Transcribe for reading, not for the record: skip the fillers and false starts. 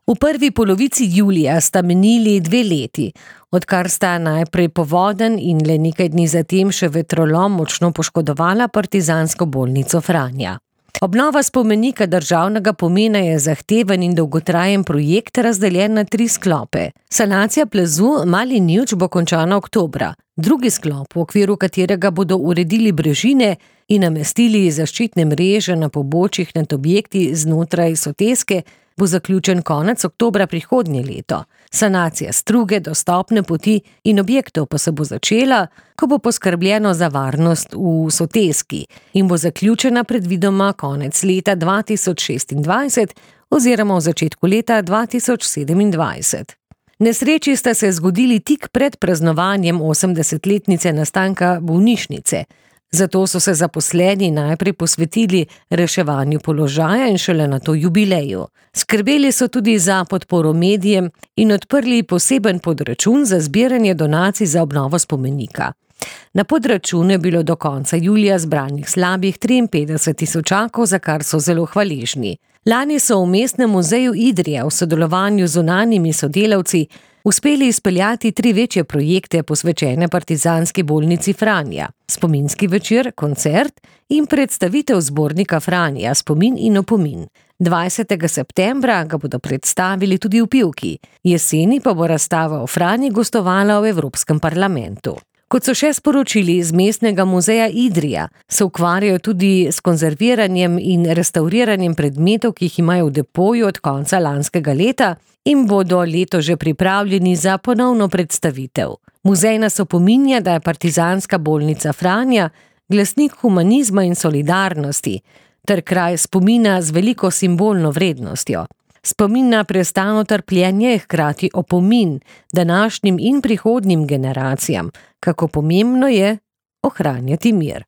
V prvi polovici julija sta minili 2 leti, odkar sta najprej povodenj in le nekaj dni zatem še vetrolom močno poškodovala partizansko bolnico Franja. Obnova spomenika državnega pomena je zahteven in dolgotrajen projekt, razdeljen na 3 sklope. Sanacija plazu Mali Njivč bo končana oktobra. Drugi sklop, v okviru katerega bodo uredili brežine in namestili zaščitne mreže na pobočjih nad objekti znotraj soteske, bo zaključen konec oktobra prihodnje leto. Sanacija struge, dostopne poti in objektov pa se bo začela, ko bo poskrbljeno za varnost v soteski in bo zaključena predvidoma konec leta 2026 oziroma v začetku leta 2027. Nesreči sta se zgodili tik pred praznovanjem 80-letnice nastanka bolnišnice. Zato so se zaposleni najprej posvetili reševanju položaja in šele nato jubileju. Skrbeli so tudi za podporo medijem in odprli poseben podračun za zbiranje donacij za obnovo spomenika. Na podračunu je bilo do konca julija zbranih slabih 53 tisočakov, za kar so zelo hvaležni. Lani so v Mestnem muzeju Idrija v sodelovanju z zunanjimi sodelavci uspeli izpeljati 3 večje projekte posvečene partizanski bolnici Franja. Spominski večer, koncert in predstavitev zbornika Franja Spomin in opomin. 20. septembra ga bodo predstavili tudi v Pivki. Jeseni pa bo razstava o Franji gostovala v Evropskem parlamentu. Kot so še sporočili iz Mestnega muzeja Idrija, se ukvarjajo tudi s konzerviranjem in restauriranjem predmetov, ki jih imajo v depoju od konca lanskega leta in bodo leto že pripravljeni za ponovno predstavitev. Muzej nas opominja, da je partizanska bolnica Franja glasnik humanizma in solidarnosti ter kraj spomina z veliko simbolno vrednostjo. Spomin na prestano trpljenje je hkrati opomin današnjim in prihodnjim generacijam, kako pomembno je ohranjati mir.